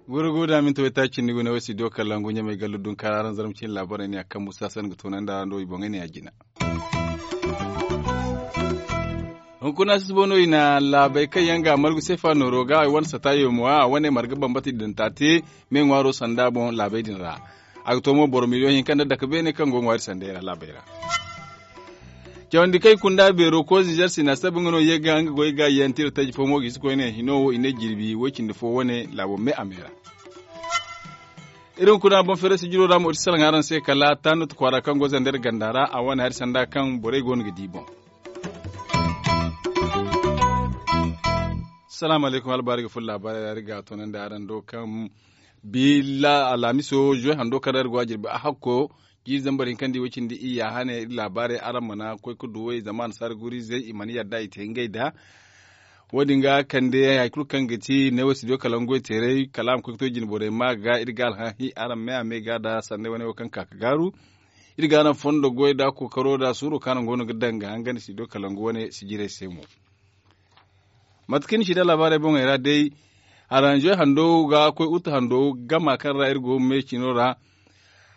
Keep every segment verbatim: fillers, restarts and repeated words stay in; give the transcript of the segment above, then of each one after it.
Gurguda minti waytaaci cindi gune wo studio kalangu ɲamey gallu dunkaara araŋ zarma cine laabaarey ne a kaŋ musa san ga toonandi araŋ do i boŋey ne a jina. Hunkuna si si boŋ no i na laabey kaŋ yaŋ ga margu seefa nooro ga i wane sata yoomo a wane marga bambata i daŋ taate me ŋwaaro sanda boŋ laabey din ra. A ga to mo boro miliyoŋ hinka nda dake beene kaŋ go ŋwaari sandey ra laabey ra. Cawandi kaŋ i kunda beero koy zizer sina sabi nga no ye ga nga goy ga yaŋ tira taji fo mo ga i si koyne hino wo i ne jirbi woy cindi fo wane laabo me a me ra. Iri hunkuna boŋ feere sijiro ra mo iri si salaŋ araŋ se kala tanut kwaara kaŋ go zander ganda ra a wane hari sanda kaŋ borey go no ga di boŋ. Salaamu alaykum albaari ga furo laabaarey ra iri ga a toonandi araŋ do kaŋ bi alhamiso zuwe hando kaŋ ra iri go a jirbi a hakko jiiri zambar hinka nda i way cindi iyya hane iri laabaarey araŋ mana koy ga duw'ey zama annasaara guriizey i mana yadda i te ngey da. Wo- din ga kande hari kulu kaŋ ga ti neewo studio kalangu goy teeray kala a ma koy ga to jine borey ma ga iri ga alhahi araŋ me a me ga nda sanney wane wo kaŋ ka ga gaaru. Iri ga araŋ fondo goy nda kookaro nda suuro kaŋ araŋ go no ga daŋ ga hangan studio kalangu wane sijirey se mo. Mate kaŋ ni si daŋ laabaarey boŋey ra day, aranze hando ga koy utu hando gama kaŋ ra iri go me cino ra.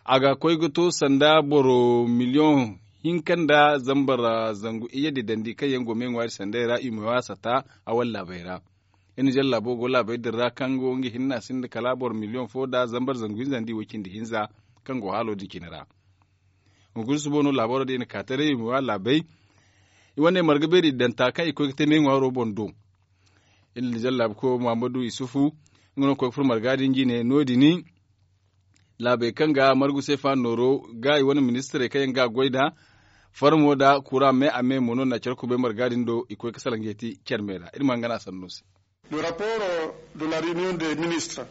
A ga koy ga to sanda boro miliyoŋ hinka nda zambar zangu iyye din dandi kaŋ yaŋ go me ŋwaari sandey ra i ma waasa ta a wane laabey ra. Iri na zalla laabo go laabey din ra kaŋ go nga hinne a sinda kala boro miliyoŋ fo nda zambar zangu hinza nda i way cindi hinza kaŋ go haalo din cine ra. Hunkuna suba no laabaaro din i na ka taray i ma wa laabey. I wane marga beeri danta kaŋ i koy ga te me ŋwaaro boŋ do. Iri na zalla laabuko muhammadu isufu nga no ga koy ga furo marga din jine no- din. Laabey kaŋ ga margu seefa nooro ga i wane ministirey kaŋ yaŋ ga a goy nd'a. Farmo nda kura me a me mo no na care kubay marga din do i koy ga salaŋ ga yeti care me ra iri ma nga no a sanno se.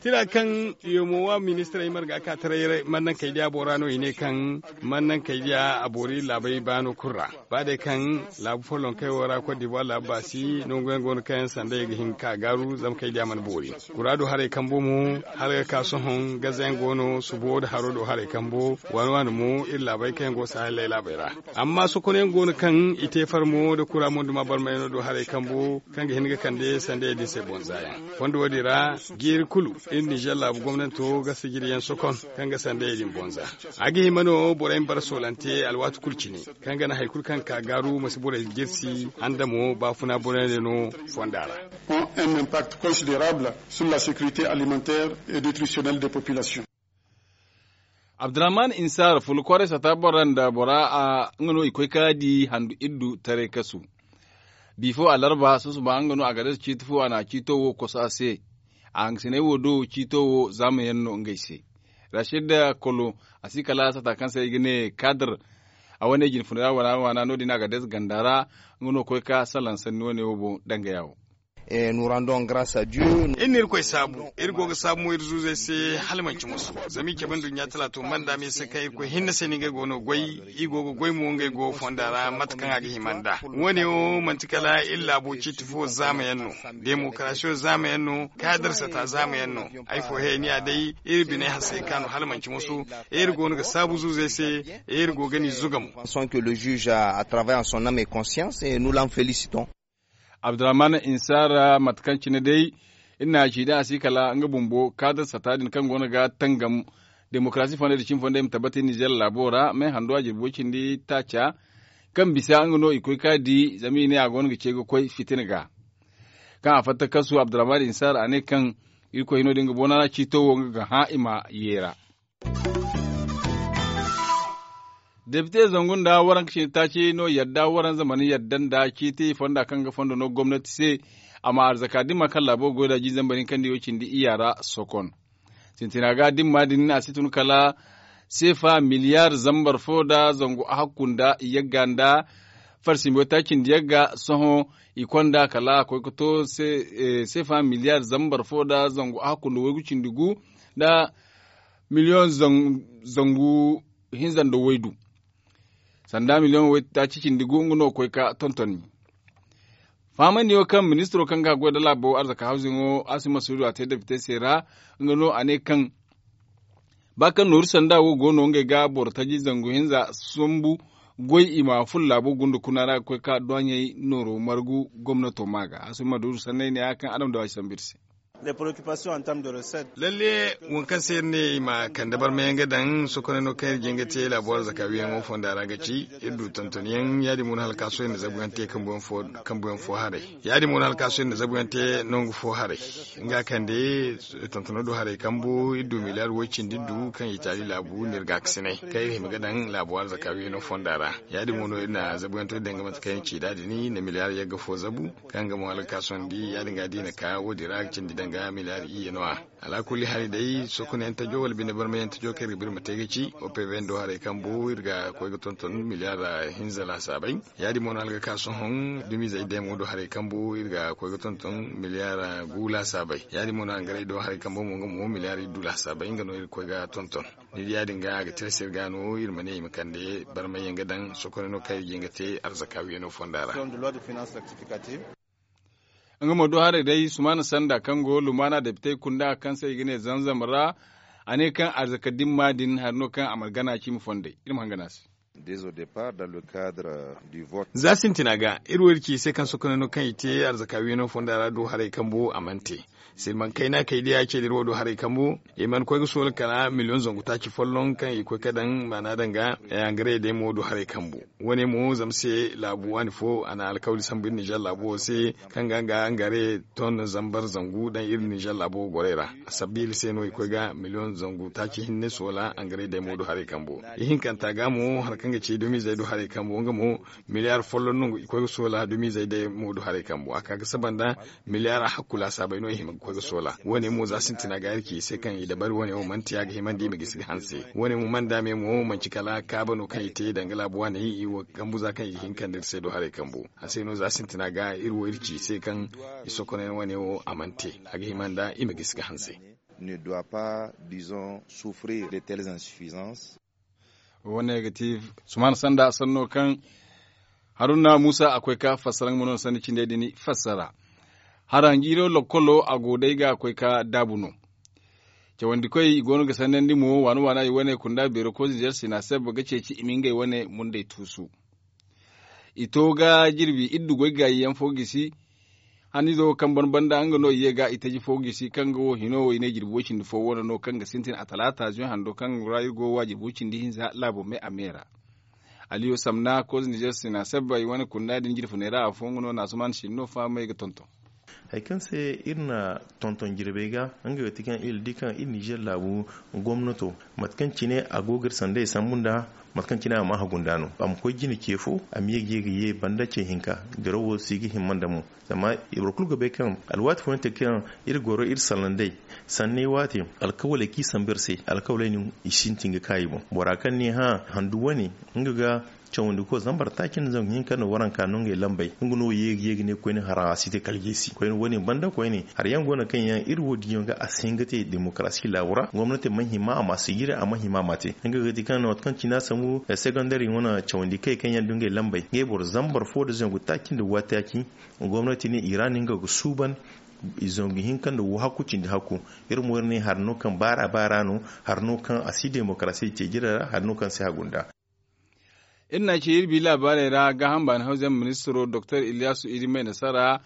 Tira kaŋ yomowa ministirey marga ka taray mannankey diya boora no i ne kaŋ mannankey diya a boori laabey baano kulu ra. Ba day kaŋ laabu follonkey wo ra kot dibuwar laabu baasi nangu yaŋ go no kaŋ yaŋ sanda i ga hin ga ka gaaru zama kay diya mana boori. Kura do haray kambo mo hala ga ka sohõ gaza yaŋ go no subo da haro do haray kambo waani waani mo iri laabey kaŋ yaŋ go sahel laabey ra. Amma sokonyaŋ go no kaŋ i te farmo nda kura mo nda ma barmayano do haray kambo kaŋ ga hin ga kande sandayey din se bonza yaŋ. Fondo wo- din ra jiiri kulu iri nizer laabu gomnanto ga sijiri yaŋ sokon kaŋ ga sandayey din bonza. A ga hima no borey ma bara soolante alwaati kulu cine kaŋ ga naŋ hari kulu kaŋ ga ka gaaru ma si borey jirsi handamo baafuna borey no fonda ra. Ont un impact considérable sur la sécurité alimentaire et nutritionnelle des populations. Abdurrahman insar fula kwaray sata bora nda bora a nga no i koy ka di handu iddu taray kasu. Bifo alarba susuba nga no a ga dasa ciiti fo a na ciito wo koso a se. A hangasinay wo do ciito wo zaamayaŋ no ngey se. Rashid kolo a si kala sata kaŋ se i ga ne kadir. A wane jinfunay ra waana waana no- din a ga dasa ganda ra. Nga no koy ka salaŋ sanni wane wo boŋ danga yaawo. Iri na irkoy saabu iri go ga saabu mo iri zuuzey se hala manci musu. Zama i cabe nduɲɲa talaato manda me se kaŋ irkoy hinne se no ngey go no goy. I go ga goy mo ngey go fonda ra mate kaŋ a ga hima nd'a. Wo- ne wo manti kala iri laabo ciiti fo zaama yaŋ no. Demokarasiyo zaama yaŋ no kaadir sata zaama yaŋ no. Ay fo heyniya day iri biney hasey ka no hala manci musu. Iri go no ga saabu zuuzey se. Iri go ga ni zuga mo. Son que le juge a travaille en son âme et conscience et nous l'en félicitons. Abdurrahman insara mate kaŋ cine day iri na a ci da a si kala nga bumbo kaada sata din kaŋ go no ga tangam. Demokarasi fonday da cimi fonday ma tabbati nizer laabo ra me hando a jirbi way cindi taaca. Kaŋ bisa nga no i koy ka di zama i ne a go no ga ce ga koy fitina ga. Kaŋ a fatta kasu abdurrahman insara a ne kaŋ irkoy hino din ga boona ra ciito wo nga ga hã i ma yeera. Depite zangu nda waranka cine taaci no yadda waranza mana yadda nda ciiti fonda kaŋ ga fondo no gomnati se. A ma arzaka dimma kaŋ laabo ga goy da jiizambar hinka nda i wo cindi iyya ra sokon. Sintina ga dimma din a si tun kala seefa miliyar zambar fo nda zangu ahakku nda yagga nda farsimbo taaci nda yagga sohõ. I konda kala a koy ga to seefa miliyar zambar fo nda zangu ahakku nda waygu cindi gu nda miliyoŋ zangu hinza nda waydu. Sanda miliyoŋ waytaaci cindi gu nga no ga koy ga tontoni. Fahamandi wo kaŋ ministiro kaŋ ga goy nda laabo arzaka hawziŋo asima suudu a te depite se ra. Nga no a ne kaŋ Ba kaŋ nooru sanda wo go no ngey ga boro taji zangu hinza sambu goy i ma furo laabo gunda kuna ra ga koy ka doɲey nooro margu gomnato ma ga a si ma duuru sanney ne ya kaŋ adama da waasi sambu iri se. Lalle, waŋ kaŋ se iri ne i ma kande barmayaŋ ga daŋ sokoney no kaŋ iri jin ga te laabo arzaka wiyaŋo fonda ra ga ci iri du tontonyaŋ ya- din mo no hala ka sohõ iri na zabuyaŋ te kambuyaŋ fo haray. Ya- din mo no hala ka sohõ iri na zabuyaŋ te nangu fo haray. Nga kande tontono du haray kambu iri du miliyar way cindi iri du kaŋ itali laabu no iri ga a ga sinay kaŋ iri hima ga daŋ laabo arzaka wiyaŋo fonda ra. Ya- din mo no iri na zabuyaŋ to iri daŋ ga mate kaŋ iri ci nd'a din iri na miliyar yagga fo zabu kaŋ ga mo hala ga ka sohõ ni di ya- din ga da i na ka wo- din ra ga cindi daŋ ga miliyar iyye no- ya. Alaakulli hali day sokonayaŋ tajo wala bine barmayaŋ tajo kaŋ iri ga ba iri ma te ga ci opv do haray kambu iri ga koy ga tonton miliyar hinza laasaabay. Ya- din mo no hala ga ka sohõ dumizey day mo do haray kambu iri ga koy ga tonton miliyar gu laasaabay. Ya- din mo no hangaray do haray kambu mo nga mo miliyar iddu laasaabay nga no iri ga koy ga tonton. Ni di ya- din ga a ga tilas iri ga no iri ma ne i ma kande barmayaŋ ga daŋ sokoney no kaŋ iri ga hin ga te arzaka wiyaŋo fonda ra. Nga mo do haray day sumaana sanda kaŋ go lumaana depitey kunda kaŋ se i ga ne zamzam ra. A ne kaŋ arzaka dimma din hari no kaŋ a mana gana cimi fondey iri ma hangana se. Za sintina ga iri wo iri ci i se kaŋ sokoney no kaŋ i te arzaka wiyaŋo fonda ra do haray kambu a mana te. Silmaŋ kayna kay day a ce da iri wo do haray kambu i mana koy ga soola kala miliyoŋ zangu taaci folloŋ kaŋ i koy ga daŋ maana daŋ ga. Hangaray day mo do haray kambu wo- ne mo zama se laabu waani fo a na alkawli sambu iri nizer laabu wo se kaŋ ga nga hangaray ton zambar zangu daŋ iri nizer laabu wo gorey ra. A sabbi iri se no i koy ga miliyoŋ zangu taaci hinne soola hangaray day mo do haray kambu. Ihinkanta ga mo hari kaŋ ga ci dumizey do haray kambu nga mo miliyar folloŋ no i koy ga soola dumizey day mo do haray kambu a ka ga saba nda miliyar hakku laasaabey no i hima ga koy ga soola wo- ne mo za sintina ga iri ci i se kaŋ i dabari wo- ne wo mana te a ga himandi i ma gisi ga hanse. Wo- ne mo mana daame mo manci kala kaaba no kaŋ i te danga laabu waaney i wo kambu za kaŋ i ga hin kande iri se do haray kambu. A se no za sintina ga iri wo iri ci i se kaŋ i sokonay wo- ne wo a mana te a ga hima nda i ma gisi ga hanse. Ne doit pas disons souffrir de telles insuffisances. Wo- ne ga ti sumaana sanda sanno kaŋ haruna muusa a koy ka fassara nga ma no sanni cindey din fassara. Hara jiiro lokkolo a go day ga koy ka daabu no. Cawandikoy i go no ga sannandi mo waana waana i wane kunda beero koy zinzer sina sebba ga ceeci i ma ngey wane mundey tuusu. I to ga jirbi iddu goy gaayi yaŋ fo gisi. Hanizo kaŋ ban banda nga no i ye ga i taji fo gisi kaŋ ga wo hino wo i ne jirbi way cindi fo wane no kaŋ ga sintin a talaata zuy hando kaŋ ra iri go wa jirbi way cindi hinza laabo me a me ra. Aliyo samna koz nizer sina sabba i wane kunda din jirfuney ra afo nga no na zuman sinno fahamay ga tonton. Hari kaŋ se iri na tonton jirbey ga nga ga ti kaŋ iri di kaŋ iri nizer laabu gomnato mate kaŋ cine a go ga iri sandey sambu nda mate kaŋ cine a ma hagu nda no a ma koy jine ce fo a ma ye ga ye ga ye banda ce hinka. Dirawo si ga himma nda mo zama i boro kulu ga bay kaŋ alwaati fooyaŋ te kaŋ iri goro iri sallandey sanney waate alkawaley kaŋ i sambu iri se alkawaley no i sintin ga ka i boŋ bora kaŋ ne hã handu wane nga ga cawandi koy zambar taaci nda zangu hinka nda waranka no ngey lambey nga no ye ga ye ga ne koyne hara a si te kala jeesi koyne wane banda koyne hari yaŋ go no kaŋ yaŋ iri wo diyaŋ ga a si hin ga te demokarasi laabo ra gomnati ma hima a ma si jire a ma hima a ma te nga ga ti kaŋ waati kaŋ cina sambu segondari wane cawandi kay kaŋ yaŋ du ngey lambey ngey boro zambar fo nda zangu taaci nda waati taaci gomnati ne i ra no nga ga suuban i zangu hinka nda wo hakku cindi hakku. Iri mo iri ne hari no kaŋ baara baara no hari no kaŋ a si demokarasi ce jire ra hari no kaŋ si hagu nda. Iri na ci iri bi laabaarey ra gaaham baani hawzey ministiro doktor iliyasu idi may nasara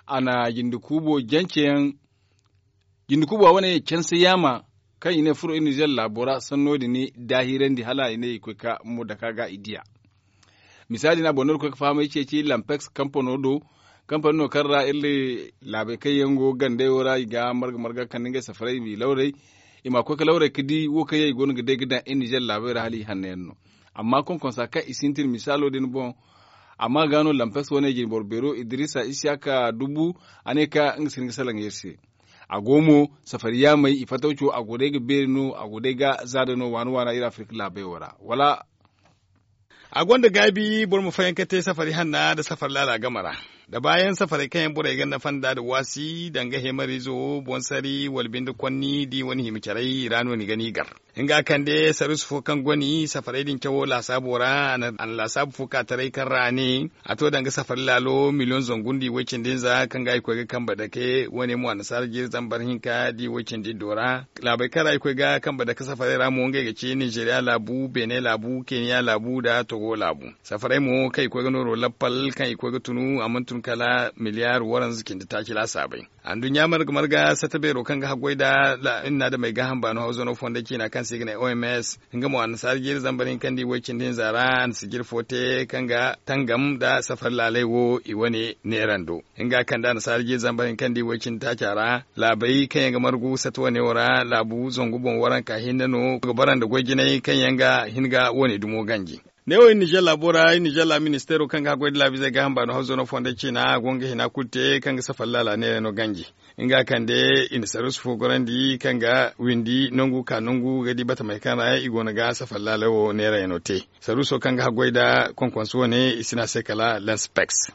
a na jinde kuubo janceyaŋ jinde kuubo a wane canse yaama kaŋ i ne furo iri nizer laabo ra sanno din daahirandi hala i ne i koy ka mo daka ga i diya. Misaali no a boŋ no iri koy ga fahamay ceeci lampeks kampano do kampano no kaŋ ra iri laabey kaŋ yaŋ go gandey wo ra i ga marga marga kande ngey safaray i ma i lawray i ma koy ga lawray ga di wo kaŋ yaŋ i go no ga day ga daŋ iri nizer laabey ra hala i hanno yaŋ no. Amma konkonsa kaŋ i sintin misaalo din boŋ. Amma ga no lampeks wane jine boro beero idirisa isiyaka dubu a ne ka nga si hin ga salaŋ iri se. A go mo safari yaamey i fataw co a go day ga beeri no a go day ga zaada no waana waana iri afirika laabey wo ra wala. A gonda gaabi boro ma fayanka te safari hanna nda safari laala game ra nda baayaŋ safarey kaŋ yaŋ borey ga nafa nda nda waasi danga heemariizo boŋ sari wala binde konni da i wane hima caray i ra no ni ga ni gar. Nga kande sarus fo kaŋ goni safarey din cawo laasaabo ra a na laasaabu fo ka taray kaŋ ra a ne a to danga safari laalo miliyoŋ zangu nda i way-cindi-hinza kaŋ ga i koy ga kambe dake wane mo annasaara jiiri zambar hinka da i way-cindi-iddo ra. Laabey kaŋ ra i koy ga kambe dake safarey ra mo ngey ga ci ninzeeriya laabu, beene laabu, keniya laabu nda togo laabu. Safarey mo kaŋ i koy ga nooro lappal kaŋ i koy ga tunu a mana tun kala miliyaar waranza cindi taaci laasaabey. Anduɲɲa marga marga sata beero kaŋ ga haggoy nda iri na adamey gaaham baano hawzano fonda ciina kaŋ se i ga ne oms, nga mo annasaara jiiri zambar hinka nda i way-cindi-hinza ra a na sijir fo te kaŋ ga tangam nda safari laaley wo i wane neerando. Nga kande annasaara jiiri zambar hinka nda i way-cindi taaca ra laabey kaŋ yaŋ ga margu sata wane wo ra laabu zangu boŋ waranka hinne no ga bara nda goy jinay kaŋ yaŋ ga hin ga wane dumo ganji. Ne wo iri nizer laabo ra iri nizer laabu ministeero kaŋ ga haggoy nda laabiizey gaaham baano hawzano fonda ciina a go nga hina kulu te kaŋ ga safari laala neerey no ganji. Nga kande i na sarus fo gorandi kaŋ ga windi nangu ka nangu ga di batamey kaŋ ra i go no ga safari laala wo neerey no te. Saruso kaŋ ga haggoy nda konkonso wane i si ne a se kala lens pex.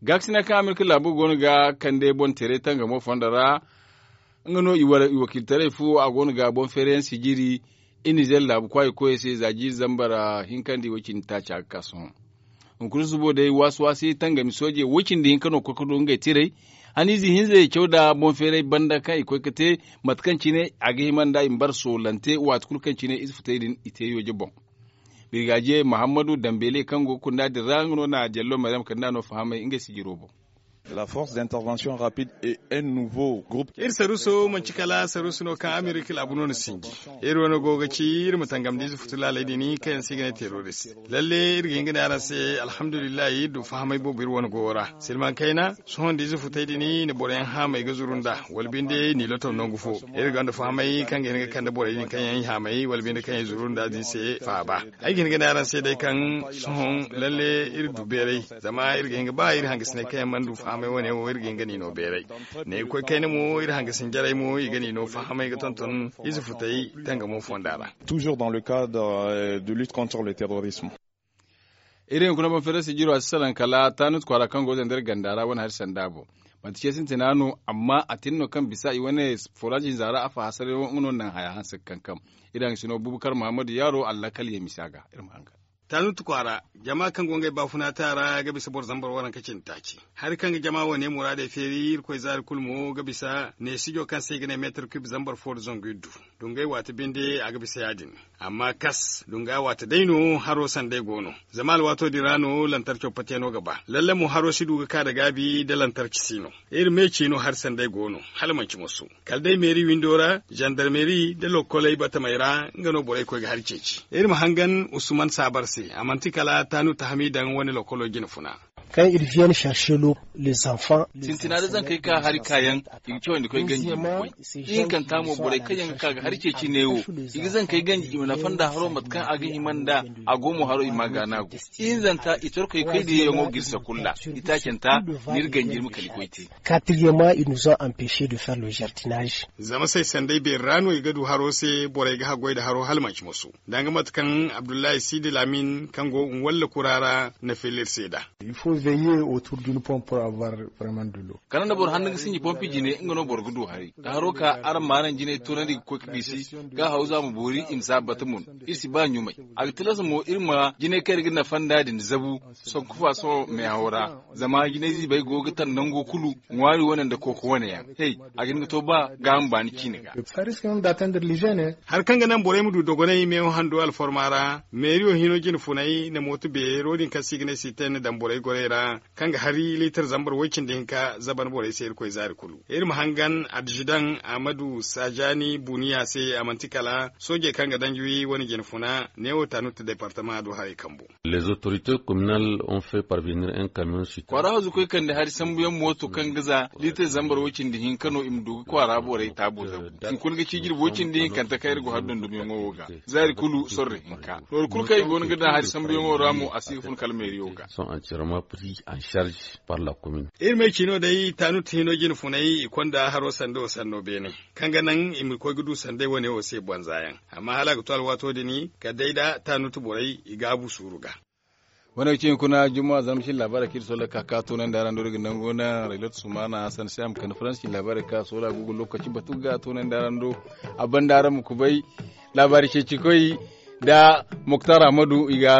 Gaakasina kaŋ amerika laabo go no ga kande boŋ teeray tangamo fondo ra. Nga no i wakiiltaray fo a go no ga boŋ feerayaŋ sijiri i nizer laabu kwaayi koyey se za jiiri zambar hinka nda i way cindi taaca ga ka sohõ. Hunkuna subo day waasi-waasi tangami soojey way cindi hinka no koy ga du ngey tiray. Haniize hinzey caw nda boŋ feeray banda kaŋ i koy ga te mate kaŋ cine a ga hima nda i ma bara soolante waati kulu kaŋ cine ize futay din i te yooje boŋ. Birgaaje mahammadu dambele kaŋ go ga kunda din ra nga no na jallo maryam kande a no fahamay ngey sijiro boŋ. La force d'intervention rapide et un nouveau groupe. Iri saruso manci kala saruso no kaŋ amerika laabu no na sinji. Iri wane go ga ci iri ma tangam da ize futu laaley din kaŋ yaŋ se i ga ne terrorist. Lalle iri ga hin ga ne araŋ se alhamdulillahi iri du fahamay boobo iri wane goyo ra silmaŋ kayna. Sohõ nda ize futay din i na boroyaŋ haamay ga zuru nda wala binde n'i lotaw nangu fo. Iri gonda fahamay kaŋ ga hin ga kande borey din kaŋ yaŋ i haamay wala binde kaŋ yaŋ i zuru nda din se faaba. Ay ga hin ga ne araŋ se day kaŋ sohõ lalle iri du beeray. Zama iri ga hin ga ba iri hangasiney kaŋ yaŋ mana du fahamay wane wo iri ga hin ga n'i no beeray. Ne ga koy kayna mo iri hangasin jarey mo i ga n'i no fahamay ga tonton ize futay tangamo fonda ra. Toujours dans le cadre de lutte contre le terrorisme. Iri hunkuna boŋ feerasi jiro a si salaŋ kala taanut kwaara kaŋ go ga zandar ganda ra wane hari sanda boŋ. Manti ce sintina no amma a tin no kaŋ bisa i wane foraaji hinza ra a fa hasarayaŋ wo nga no naŋ haya hanse ga kankam. Iri hangasino bubakar muhammadu yaaro allakal ye misa ga iri ma hangan. Taanut kwaara jama kaŋ go ngey baafuna te a ra ga bisa boro zambar waranka cindi taaci. Hari kaŋ ga jama wane muraadey feeri irkoy zaari kulu mo ga bisa neesijo kaŋ se i ga ne meetar kub zambar fo nda zangu iddu. Dungay waati binde a ga bisa ya- din. Amma kas dunga waate day no haro sanday go no. Zama alwaato din ra no lantarco pateeno ga ba lalle mo haro si du ga ka nda gaabi nda lantarci si no. Iri me ciino hari sanday go no hala manci moso. Kala day meeri windo ra zandarmeeri nda lokoley batamey ra nga no borey koy ga hari ceeci iri ma hangan usman saabar se a manti kala taanu tahami daŋ wane lokolo jine funa. Kaŋ iri vienne chercher les enfants. Sintina da zankey ka hari kaayaŋ i ga cawandi koy ganji i ma koy. Ihinkanta mo borey kaŋ yaŋ ga ka ga hari ceeci neewo i ga zankey ganji i ma nafa nda haro mate kaŋ a ga hima nda a go mo haro i ma gaana go. Ihinzanta i torkoy koy diyayaŋo ga iri sakulla. Itaacanta n'iri ganji iri ma kala i koy te. Quatrièmement ils nous ont empêché de faire le jardinage. Zama say sanday beeri ra no i ga du haro se borey ga haggoy nda haro hala manci moso. Danga mate kaŋ abdullahi sidi lamin kaŋ go nwalla kura ra na filla iri se nd'a. Il faut veiller autour d'une pompe pour avoir vraiment de l'eau. Kala nda boro handu ga sinji pompi jine nga no boro ga du hari da haro ka araŋ ma araŋ jinay toonandi ga koy ga gisi ga hawza ma boori i ma si a bata mun. Iri si ba ɲumay. A ga tilas mo iri ma jinay kaŋ iri ga nafa nd'a din zabu. Sanku fa sohõ meehaw ra zama jinay ziibey go ga taŋ nango kulu ŋwaari wane nda kooko wane yaŋ. Hey, a ga hin ga to ba gaaham baani ciine ga. Hari kaŋ ga naŋ borey ma du dogonay meeho hando alforma ra meeriyo hino jine funay na mooto beero din kaŋ se i ga ne sitenne daŋ borey gorey ra kaŋ ga hari liitar zambar way-cindi hinka zaban borey se irkoy zaari kulu. Iri ma hangan addizidaŋ ahmadu sajaani buniya se a manti kala soojey kaŋ ga danji wi wane jine funa neewo tanuta departama do haray kambu. Les autorités communales ont fait parvenir un camion citerne. Kwaara hazu koy kande hari sambuyaŋ mooto kaŋ ga za liitar zambar way-cindi hinka no i ma du ga kwaara borey taabo zabu. Hunkuna ga ci jirbi way-cindi hinkanta kaŋ iri go hari dondonyaŋo wo ga zaari kulu sorro hinka. Nooru kulu kaŋ i go no ga daŋ hari sambuyaŋo ra mo a si ga fun kala meeriyo ga. Sont entièrement pris en charge par la commune. Iri ma ay ci no day taanut hino jine funay i konda haro sando sanno beene kaŋ ga naŋ i ma koy ga du sanday wane wo se banza yaŋ. Amma hala a ga to alwaato din kala day da taanut borey i gaabu suuru ga. Wane ga ci hunkuna juma zama cin labaarey kaŋ iri sola ka ka toonandi araŋ do iri ga nangu naŋ raylat sumana hasan se a ma kande faransi cin labaarey ka sola gugu lokaci batu ga toonandi araŋ do. A banda araŋ ma kubay laabaari ceeci koy nda muktar ahmadu i ga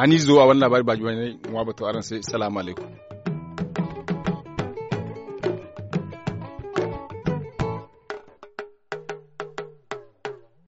haniizo a wane laabaari baaji wane ŋwa batu araŋ se salaamu alaykum.